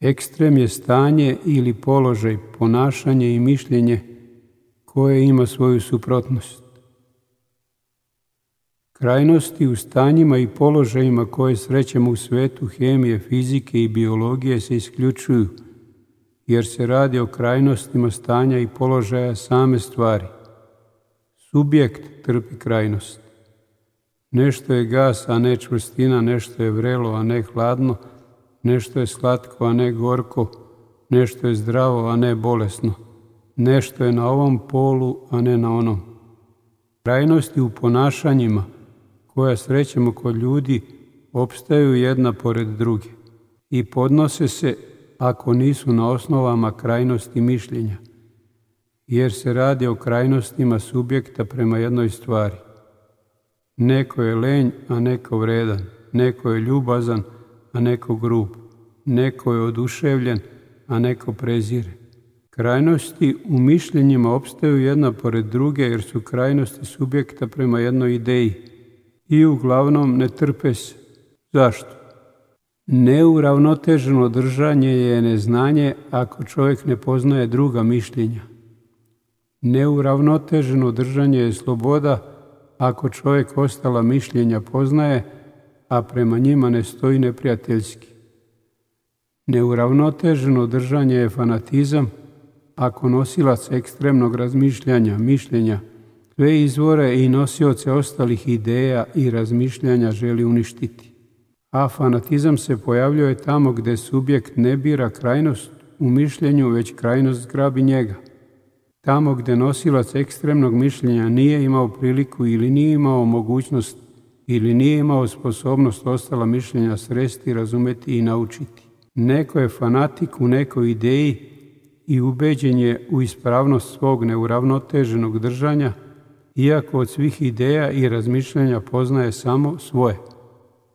Ekstrem je stanje ili položaj, ponašanje i mišljenje koje ima svoju suprotnost. Krajnosti u stanjima i položajima koje srećemo u svetu hemije, fizike i biologije se isključuju, jer se radi o krajnostima stanja i položaja same stvari. Subjekt trpi krajnost. Nešto je gas, a ne čvrstina, nešto je vrelo, a ne hladno, nešto je slatko, a ne gorko, nešto je zdravo, a ne bolesno, nešto je na ovom polu, a ne na onom. Krajnosti u ponašanjima koja srećemo kod ljudi opstaju jedna pored druge i podnose se ako nisu na osnovama krajnosti mišljenja, jer se radi o krajnostima subjekta prema jednoj stvari. Neko je lenj, a neko vredan, neko je ljubazan, a neko grub, neko je oduševljen, a neko prezire. Krajnosti u mišljenjima opstaju jedna pored druge jer su krajnosti subjekta prema jednoj ideji i uglavnom ne trpe se. Zašto? Neuravnoteženo držanje je neznanje ako čovjek ne poznaje druga mišljenja. Neuravnoteženo držanje je sloboda ako čovjek ostala mišljenja poznaje, a prema njima ne stoji neprijateljski. Neuravnoteženo držanje je fanatizam ako nosilac ekstremnog razmišljanja, mišljenja, sve izvore i nosioce ostalih ideja i razmišljanja želi uništiti. A fanatizam se pojavljuje tamo gdje subjekt ne bira krajnost u mišljenju, već krajnost zgrabi njega. Tamo gdje nosilac ekstremnog mišljenja nije imao priliku ili nije imao mogućnost ili nije imao sposobnost ostala mišljenja sresti, razumeti i naučiti. Neko je fanatik u nekoj ideji i ubeđen je u ispravnost svog neuravnoteženog držanja, iako od svih ideja i razmišljanja poznaje samo svoje.